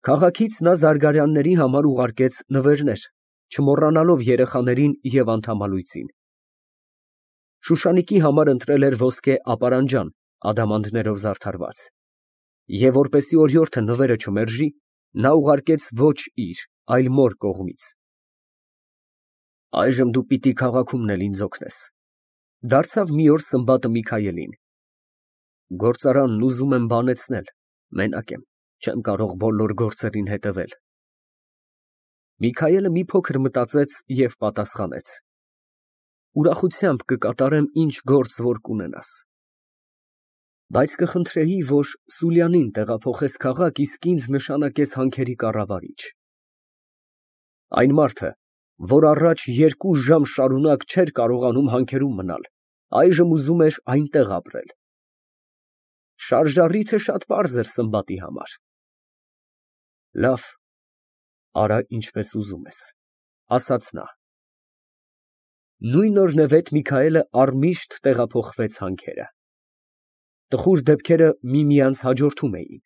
Քաղաքից նա զարգարյանների համար ուղարկեց նվերներ, չմոռանալով երեխաներին և անդամալույծին։ Շուշանիկի համար ընտրել էր ոսկե ապարանջան ադամանդներով զարդարված, և որպեսզի օրիորդը նվերը չմերժի, նա ուղարկեց ոչ իր, այլ մոր կողմից։ Այժմ դու պիտի քաղաքումն էլ ինձ օգնես, ֊ դարձավ մի օր Սմբատը Միքայելին։ Գործարանն ուզում եմ բանեցնել, մենակ եմ, չեմ կարող բոլոր գործերին հետևել։ Միքայելը մի փոքր մտածեց և պատասխանեց. Ուրախությամբ կկատարեմ ինչ գործ որ կունենաս, բայց կխնդրեի, որ Սուլյանին տեղափոխես քաղաք, իսկ ինձ նշանակես հանքերի կառավարիչ։ Այն մարդը, որ առաջ 2 ժամ շարունակ չէր կարողանում հանքերում մնալ, այժմ ուզում էր այնտեղ ապրել։ Շարժառիթը շատ պարզ էր Սմբատի համար։ Լավ, արա ինչպես ուզում ես, ֊ ասաց նա։ Նույն օրնևետ Միքայելը առմիշտ տեղափոխվեց հանքերը։ Տխուր դեպքերը միմյանց հաջորդում էին։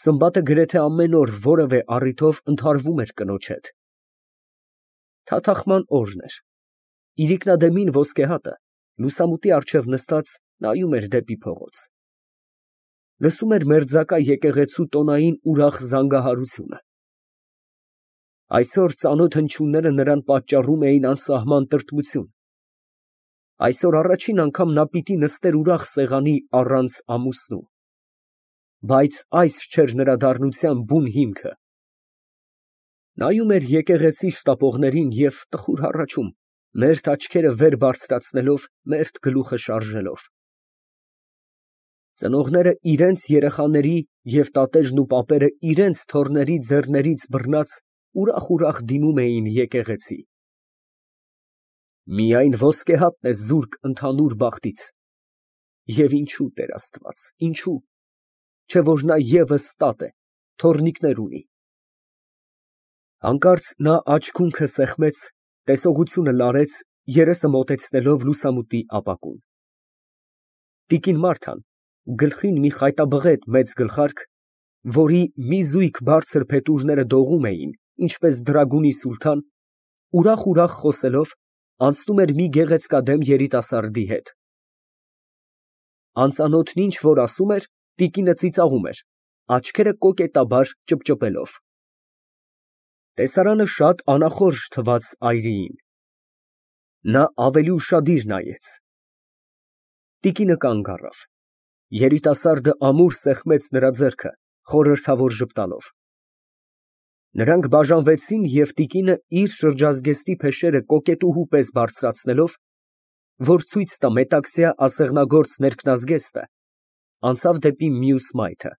Սմբատը գրեթե ամեն օր որևէ առիթով ընդհարվում էր կնոջ հետ։ Թաթախման օրն էր։ Իրիկնադեմին ոսկե հատը լուսամուտի առջև նստած նայում էր դեպի փողոց։ Լսում էր մերձակա եկեղեցու տոնային ուրախ զանգահարությունը։ Այսօր ծանոթ հնչյունները նրան պատճառում էին անսահման տրտմություն։ Այսօր առաջին անգամ նա պիտի նստեր ուրախ սեղանի առանց ամուսնու։ Բայց այս չէր նրա դառնության բուն հիմքը։ Նայում էր եկեղեցի շտապողներին և տխուր հառաչում, մերթ աչքերը վեր բարձրացնելով, մերթ գլուխը շարժելով։ Ծնողները իրենց երեխաների և տատերն ու պապերը իրենց թոռների ձեռներից բռնած ուրախ դիմում էին եկեղեցի։ Միայն ոսկե հատն է զուրկ ընդհանուր բախտից։ Եվ ինչո՞ւ, Տեր Աստված, ինչո՞ւ, չէ՞ որ նա ևս տատ է, թոռնիկներ ունի։ Հանկարծ նա աջ քունքը սեղմեց, տեսողությունը լարեց, երեսը մոտեցնելով լուսամուտի ապակուն։ Տիկին Մարթան, գլխին մի խայտաբղետ մեծ գլխարկ, որի մի զույգ բարձր փետուրները դողում էին, ինչպես դրագունի սուլթան, ուրախ խոսելով, անցնում էր մի գեղեցկադեմ երիտասարդի հետ։ Անծանոթն ինչ որ ասում էր, տիկինը ծիծաղում էր, աչքերը կոկետաբար ճպճպելով։ Տեսարանը շատ անախորժ թվաց այրիին։ Նա ավելի ուշադիր նայեց։ Տիկինը կանգ առավ։ Երիտասարդը ամուր սեղմեց նրա ձեռքը, խորհրդավոր ժպտալով։ Նրանք բաժանվեցին, և տիկինը իր շրջազգեստի փեշերը կոկետուհու պես բարձրացնելով, որ ցույց տա մետաքսյա ասեղնագործ ներքնազգեստը, անցավ դեպի մյուս մայթը։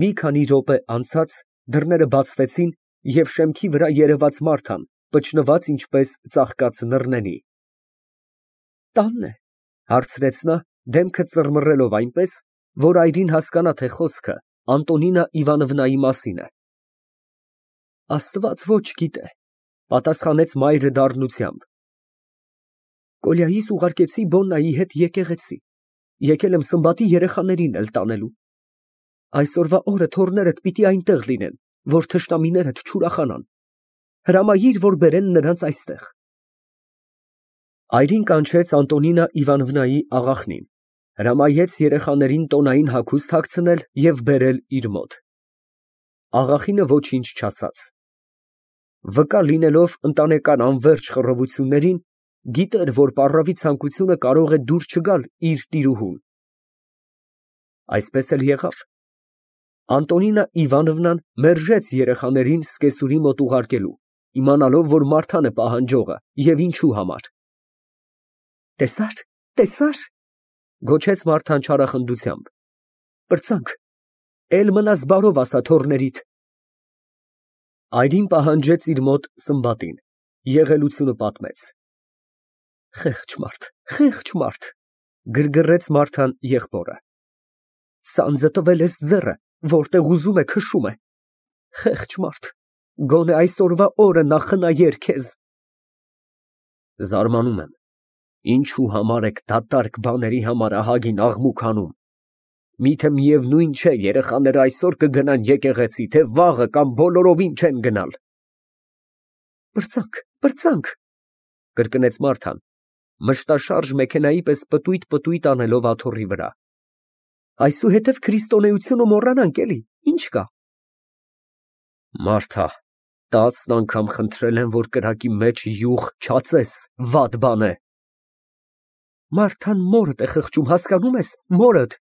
Մի քանի րոպե անցած դռները բացվեցին, և շեմքի վրա երևաց Մարթան, պճնված ինչպես ծաղկած նռնենի։ Տա՞նն է, ֊ հարցրեց նա, դեմքը ծռմռելով այնպես, որ այրին հասկանա, թե խոսքը Անտոնինա Իվանովնայի մասին է։ Աստված ոչ գիտե, ֊ պատասխանեց մայրը դառնությամբ։ Կոլյայիս ուղարկեցի Բոննայի հետ եկեղեցի, եկել եմ Սմբատի երեխաներին էլ տանելու։ Այսօրվա օրը թոռներդ պիտի այնտեղ լինեն, որ թշնամիներդ չուրախանան։ Հրամայիր, որ բերեն նրանց այստեղ։ Այրին կանչեց Անտոնինա Իվանովնայի աղախնին, հրամայեց երեխաներին տոնային հագուստ հագցնել և բերել իր մոտ։ Աղախինը ոչինչ չասաց։ Վկա լինելով ընտանեկան անվերջ խռովություններին, գիտեր, որ պառավի ցանկությունը կարող է դուր չգալ իր տիրուհուն։ Այսպես էլ եղավ։ Անտոնինա Իվանովնան մերժեց երեխաներին սկեսուրի մոտ ուղարկելու, իմանալով, որ Մարթան է պահանջողը և ինչու համար։ Տեսա՞ր, ֊ գոչեց Մարթան չարախնդությամբ։ Պրծանք, էլ մնաս բարով ասա թոռներիդ։ Այրին պահանջեց իր մոտ Սմբատին, եղելությունը պատմեց։ Խեղճ մարդ, ֊ գրգռեց Մարթան եղբորը։ Սանձը տվել ես ձեռը, որտեղ ուզում է քշում է։ Խեղճ մարդ, գոնե այսօրվա օրը նա խնայեր քեզ։ Զարմանում եմ, ինչու համար եք դատարկ բաների համար ահագին աղմուկ անում։ Միթե միևնույն չէ երեխաները այսօր կգնան եկեղեցի, թե վաղը կամ բոլորովին չեն գնալ։ Պրծանք, կրկնեց Մարթան, մշտաշարժ մեքենայի պես պտույտ անելով աթոռի վրա։ Այսուհետև քրիստոնեությունը մոռանանք, էլի, ինչ կա։ Մարթա, 10 անգամ խնդրել եմ, որ կրակի մեջ յուղ չածես, վատ բան է։ Մարթան մորդ է խղճում, հասկանում ես, մորդ։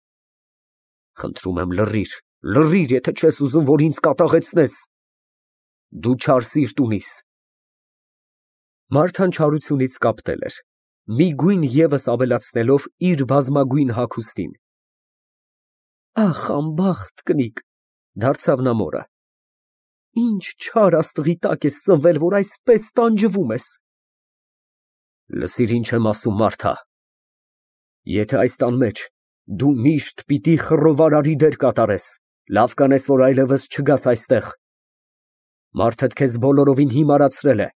Խնդրում եմ, լռիր, եթե չես ուզում, որ ինձ կատաղեցնես։ Դու չար սիրտ ունիս։ Մարթան չարությունից կապտել էր, մի գույն ևս ավելացնելով իր բազմագույն հագուստին։ Ախ, անբախտ կնիկ, դարձավ նա մորը։ Ինչ չար աստղի տակ ես ծնվել, որ այսպես տանջվում ես։ Լսիր, ինչ եմ ասում, Մարթա։ Եթե այս տան մեջ դու միշտ պիտի խռովարարի դեր կատարես, լավ կանես, որ այլևս չգաս այստեղ։ Մարդդ քեզ բոլորովին հիմարացրել է։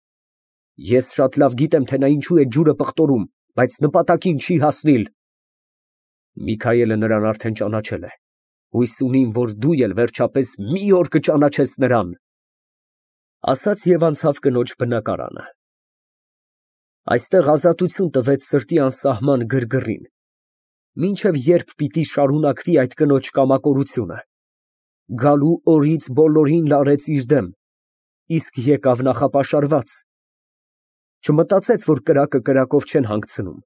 Ես շատ լավ գիտեմ, թե նա ինչու է ջուրը պղտորում, բայց նպատակին չի հասնիլ։ Միքայելը նրան արդեն ճանաչել է։ Հույս ունիմ, որ դու էլ վերջապես մի օր կճանաչես նրան։ Ասաց և անցավ կնոջ բնակարանը։ Այստեղ ազատություն տվեց սրտի անսահման գրգռին։ Մինչև երբ պիտի շարունակվի այդ կնոջ կամակորությունը։ Գալու օրից բոլորին լարեց իր դեմ, իսկ եկավ նախապաշարված։ Չմտածեց, որ կրակը կրակով չեն հանգցնում։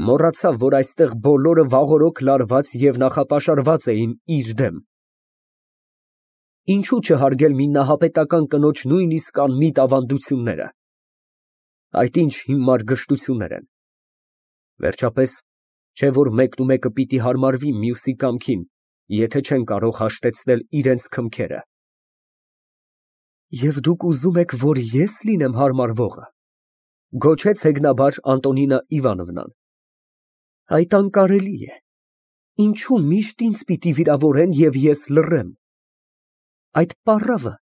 Մոռացավ, որ այստեղ բոլորը վաղօրոք լարված և նախապաշարված էին իր դեմ։ Ինչու չհարգել մի նահապետական կնոջ նույնիսկ անմիտ ավանդությունները։ Այդ ինչ հիմար գժտություններ են։ Վերջապես, չէ՞ որ մեկնումեկը պիտի հարմարվի մյուսի կամքին, եթե չեն կարող հաշտեցնել իրենց քմքերը։ Եվ դուք ուզում եք, որ ես լինեմ հարմարվողը, գոչեց հեգնաբար Անտոնինա Իվանովնան։ Այդ անկարելի է։ Ինչու միշտ ինձ պիտի վիրավորեն և ես լռեմ։ Այդ պառավը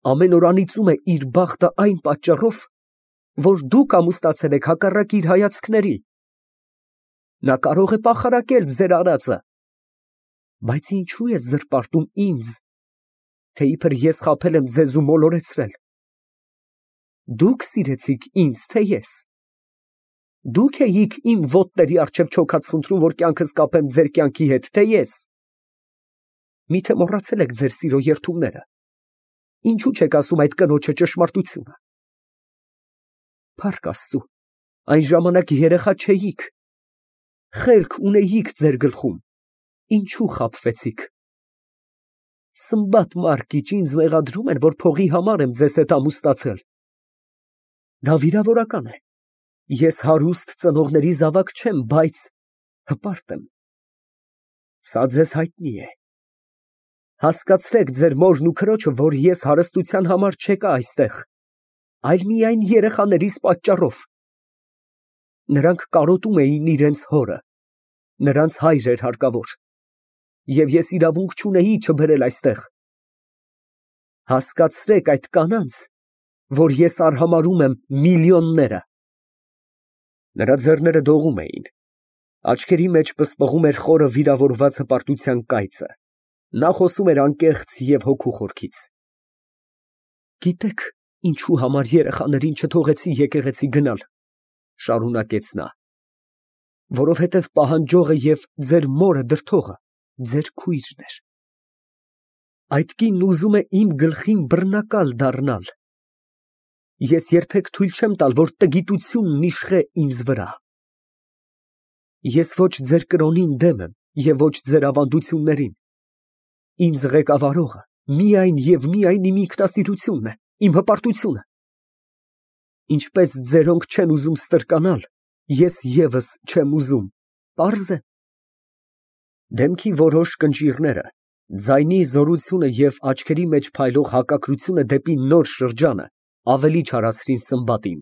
ամեն օր անիծում է իր բախտը այն պատճառով, որ դուք ամուսնացել եք հակառակ իր հայացքների։ Նա կարող է պախարակել ձեր արածը, բայց ինչու է զրպարտում ինձ, թե իբր ես խաբել եմ ձեզ ու մոլորեցրել։ Դուք սիրեցիք ինձ, թե ես։ Դուք էիք իմ ոտների առջև չոքած խնդրում, որ կյանքս կապեմ ձեր կյանքի հետ, թե ես։ Միթե մոռացել եք ձեր սիրո երդումները։ Ինչու չեք ասում այդ կնոջը ճշմարտությունը։ Փառք Աստծու, այն ժամանակ երեխա չէիք։ Խելք ունեիք ձեր գլխում, ինչու խաբվեցիք։ Սմբատ մարկիչ, ինձ մեղադրում են, որ փողի համար եմ ձեզ հետ ամուսնացել։ Դա վիրավորական է։ Ես հարուստ ծնողների զավակ չեմ, բայց հպարտ եմ։ Սա ձեզ հայտնի է։ Հասկացրեք ձեր մորն ու քրոջը, որ ես հարստության համար չեկա այստեղ, այլ միայն երեխաներիս պատճառով։ Նրանք կարոտում էին իրենց հորը, նրանց հայր էր հարկավոր, և ես իրավունք չունեի չբերել այստեղ։ Հասկացրեք այդ կանանց, որ ես արհամարհում եմ միլիոնները։ Նրա ձեռները դողում էին, աչքերի մեջ պսպղում էր խորը վիրավորված հպարտության կայծը։ Նա խոսում էր անկեղծ և հոգու խորքից։ Գիտեք, ինչու համար երեխաներին չթողեցի եկեղեցի գնալ, շարունակեց նա, որովհետև պահանջողը և ձեր մորը դրդողը ձեր քույրն էր։ Այդ կինն ուզում է իմ գլխին բռնակալ դառնալ։ Ես երբեք թույլ չեմ տալ, որ տգիտությունն իշխե ինձ վրա։ Ես ոչ ձեր կրոնին դեմ եմ և ոչ ձեր ավանդություններին։ Ինձ ղեկավարողը միայն և միայն իմ ինքնասիրությունն է, իմ հպարտությունը։ Ինչպես ձերոնք չեն ուզում ստրկանալ, ես ևս չեմ ուզում, պարզ է։ Դեմքի որոշ կնճիռները, ձայնի զորությունը և աչքերի մեջ փայլող հակակրությունը դեպի նոր շրջանը ավելի չարացրին Սմբատին։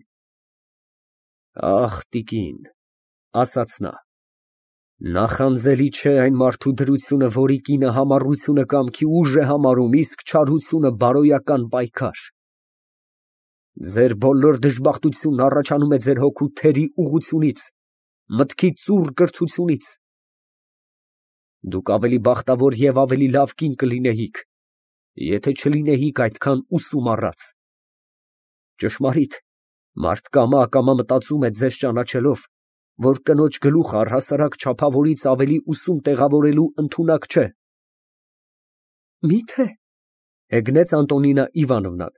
Ախ, տիկին, ասաց նա, նախանձելի չէ այն մարդու դրությունը, որի կինը համառությունը կամքի ուժ է համարում, իսկ չարությունը բարոյական պայքար։ Ձեր բոլոր դժբախտությունն առաջանում է ձեր հոգու թերի ուղղությունից, մտքի ծուռ կրթությունից։ Դուք ավելի բախտավոր և ավելի լավ կին կլինեիք, եթե չլինեիք այդքան ուսում առած։ Ճշմարիտ, մարդ կամա մտածում է ձեզ ճանաչելով, որ կնոջ գլուխը առհասարակ չափավորից ավելի ուսում տեղավորելու ընդունակ չէ։ Մի՞թե, հեգնեց Անտոնինա Իվանովնան,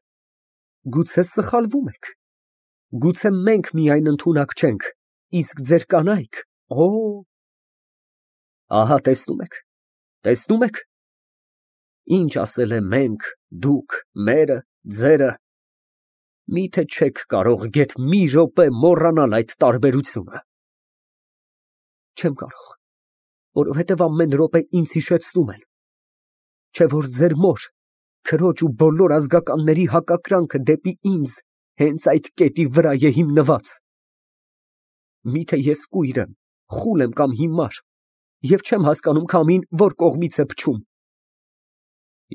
գուցե սխալվում եք, գուցե մենք միայն ընդունակ չենք, իսկ ձեր կանայք, ահա տեսնում եք, ինչ ասել է մենք, դուք, մերը, ձերը, միթե չեք կարող գեթ մի րոպե մոռանալ այդ տարբերությունը։ Չեմ կարող, որովհետև ամեն րոպե ինձ հիշեցնում են, չէ որ ձեր մոր, քրոջ ու բոլոր ազգականների հակակրանքը դեպի ինձ հենց այդ կետի վրա է հիմնված։ Միթե ես կույր եմ, խուլ եմ կամ հիմար, և չեմ հասկանում քամին որ կողմից է փչում։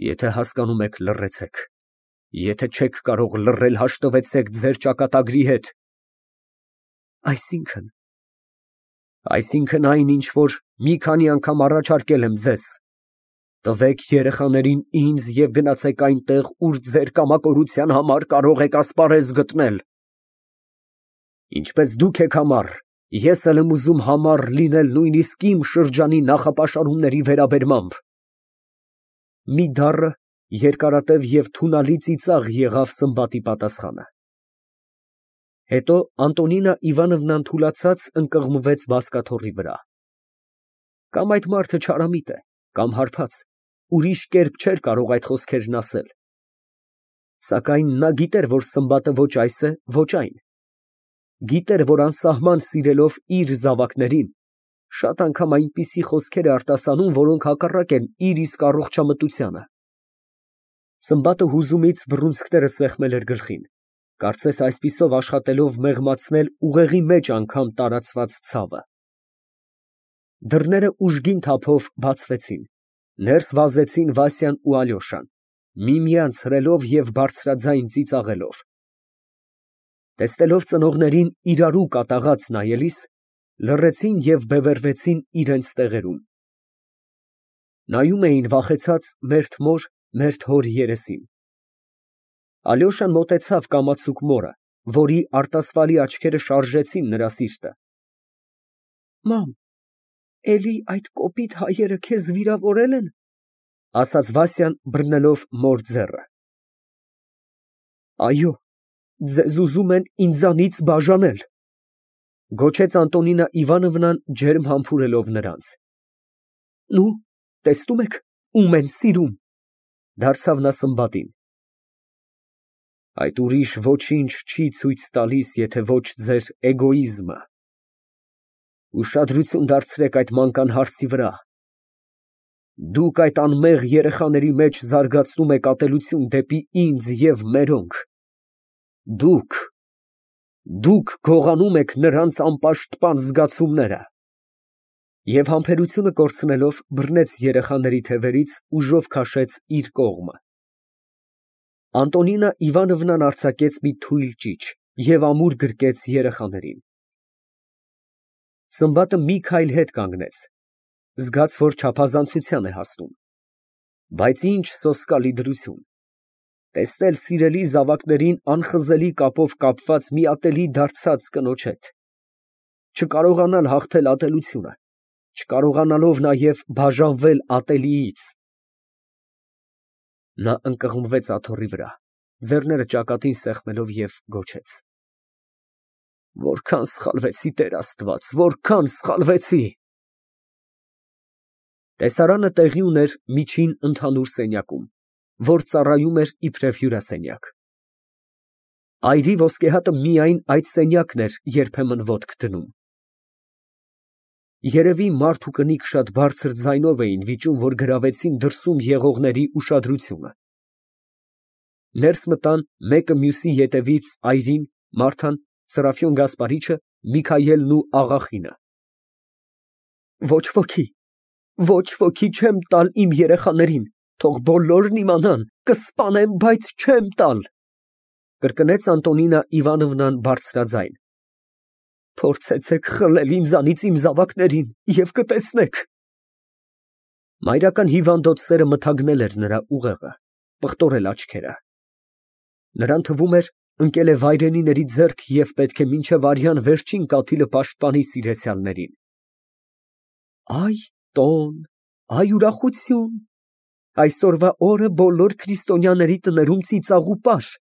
Եթե հասկանում եք, լռեցեք, եթե չեք կարող լռել, հաշտվեցեք ձեր ճակատագրի հետ։ Այսինքն այն, ինչ որ մի քանի անգամ առաջարկել եմ ձեզ, տվեք երեխաներին ինձ և գնացեք այնտեղ, ուր ձեր կամակորության համար կարող եք ասպարեզ գտնել։ Ինչպես դուք եք համառ, ես էլ եմ ուզում համառ լինել նույնիսկ իմ շրջանի նախապաշարումների վերաբերմամբ։ Մի դառը, երկարատև և թունալի ծիծաղ եղավ Սմբատի պատասխանը։ Հետո Անտոնինա Իվանովնան թուլացած ընկղմվեց բազկաթոռի վրա։ Կամ այդ մարդը չարամիտ է, կամ հարբած, ուրիշ կերպ չէր կարող այդ խոսքերն ասել։ Սակայն նա գիտեր, որ Սմբատը ոչ այս է, ոչ այն։ Գիտեր, որ անսահման սիրելով իր զավակներին, շատ անգամ այնպիսի խոսքեր է արտասանում, որոնք հակառակ են իր իսկ առողջամտությանը։ Սմբատը հուզումից բռունցքները սեղմել էր գլխին, կարծես այսպիսով աշխատելով մեղմացնել ուղեղի մեջ անգամ տարածված ցավը։ Դռները ուժգին թափով բացվեցին, ներս վազեցին Վասյան ու Ալյոշան, միմյանց հրելով և բարձրաձայն ծիծաղելով։ Տեսնելով ծնողներին իրարու կատաղած նայելիս, լռեցին և բևեռվեցին իրենց տեղերում։ Նայում էին վախեցած մերթ մոր, մերթ հոր երեսին։ Ալյոշան մոտեցավ կամացուկ մորը, որի արտասվալի աչքերը շարժեցին նրա սիրտը։ Մամ, էլի այդ կոպիտ հայերը քեզ վիրավորել են, ասաց Վասյան բռնելով մոր ձեռքը։ Այո, ձեզ ուզում են ինձանից բաժանել, գոչեց Անտոնինա Իվանովնան ջերմ համբուրելով նրանց։ Նու, տեսնում եք, ում են սիրում, դարձավ նա Սմբատին։ Այդ ուրիշ ոչինչ չի ցույց տալիս, եթե ոչ ձեր էգոիզմը։ Ուշադրություն դարձրեք այդ մանկան հարցի վրա։ Դուք այդ անմեղ երեխաների մեջ զարգացնում եք ատելություն դեպի ինձ և մերոնք։ Դուք գողանում եք նրանց անպաշտպան զգացումները։ Եվ համբերությունը կորցնելով, բռնեց երեխաների թևերից, ուժով քաշեց իր կողմը։ Անտոնինա Իվանովնան արձակեց մի թույլ ճիչ և ամուր գրկեց երեխաներին։ Սմբատը մի քայլ հետ կանգնեց, զգաց, որ չափազանցության է հասնում։ Բայց ինչ սոսկալի դրություն, տեսնել սիրելի զավակներին անխզելի կապով կապված մի ատելի դարձած կնոջ հետ, չկարողանալ հաղթել ատելությունը, չկարողանալով նաև բաժանվել ատելիից։ Նա ընկղմվեց աթոռի վրա, ձեռները ճակատին սեղմելով և գոչեց. Որքան սխալվեցի, Տեր Աստված, որքան սխալվեցի։ Տեսարանը տեղի ուներ միջին ընդհանուր սենյակում, որ ծառայում էր իբրև հյուրասենյակ։ Այրի ոսկեհատը միայն այդ սենյակն էր երբեմն ոտք դնում։ Երևի մարդ ու կնիկ շատ բարձր ձայնով էին վիճում, որ գրավեցին դրսում եղողների ուշադրությունը։ Ներս մտան մեկը մյուսի ետևից այրին, Մարթան, Սրափիոն Գասպարիչը, Միքայելն ու Աղախինը։ Ոչ ոքի չեմ տալ իմ երեխաներին, թող բոլորն իմանան, կսպանեմ, բայց չեմ տալ, կրկնեց Անտոնինա Իվանովնան բարձրաձայն։ Փորձեցեք խլել ինձանից իմ զավակներին և կտեսնեք։ Մայրական հիվանդոտ սերը մթագնել էր նրա ուղեղը, պղտորել աչքերը։ Նրան թվում էր, ընկել է վայրենիների ձեռք և պետք է մինչև արյան վերջին կաթիլը պաշտպանի սիրեցյալներին։ Այ տոն, այ ուրախություն, այսօրվա օրը բոլոր քրիստոնյաների տներում ծիծաղ ու պար,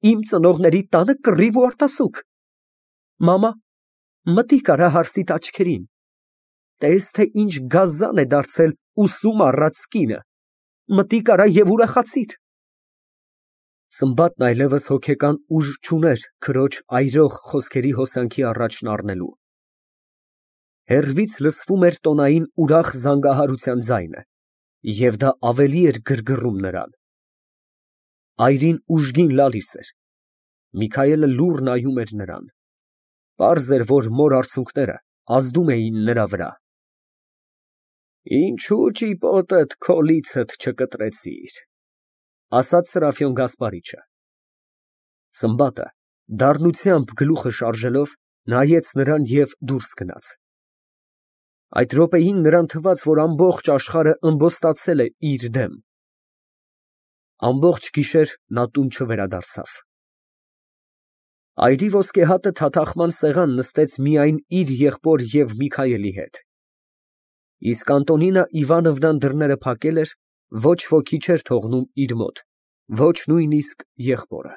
իմ ծնողների տանը կռիվ ու արտասուք։ Մամա, մտիկ արա հարսիդ աչքերին, տես, թե ինչ գազան է դարձել ուսում առած կինը, մտիկ արա և ուրախացիր։ Սմբատն այլևս հոգեկան ուժ չուներ քրոջ այրող խոսքերի հոսանքի առաջն առնելու։ Հեռվից լսվում էր տոնային ուրախ զանգահարության ձայնը, և դա ավելի էր գրգռում նրան։ Այրին ուժգին լալիս էր։ Միքայելը լուռ նայում էր նրան։ Պարզ էր, որ մոր արցունքները ազդում էին նրա վրա։ Ինչո՞ւ ճիպոտդ քո լիցդ չկտրեցիր, ասաց Սրափիոն Գասպարիչը։ Սմբատը դառնությամբ գլուխը շարժելով նայեց նրան և դուրս գնաց։ Այդ րոպեին նրան թվաց, որ ամբողջ աշխարհը ըմբոստացել է իր դեմ։ Ամբողջ գիշեր նա տուն չվերադարձավ։ Այրի ոսկեհատը թաթախման սեղան նստեց միայն իր եղբոր և Միքայելի հետ։ Իսկ Անտոնինա Իվանովնան դռները փակել էր, ոչ ոքի չէր թողնում իր մոտ, ոչ նույնիսկ եղբորը։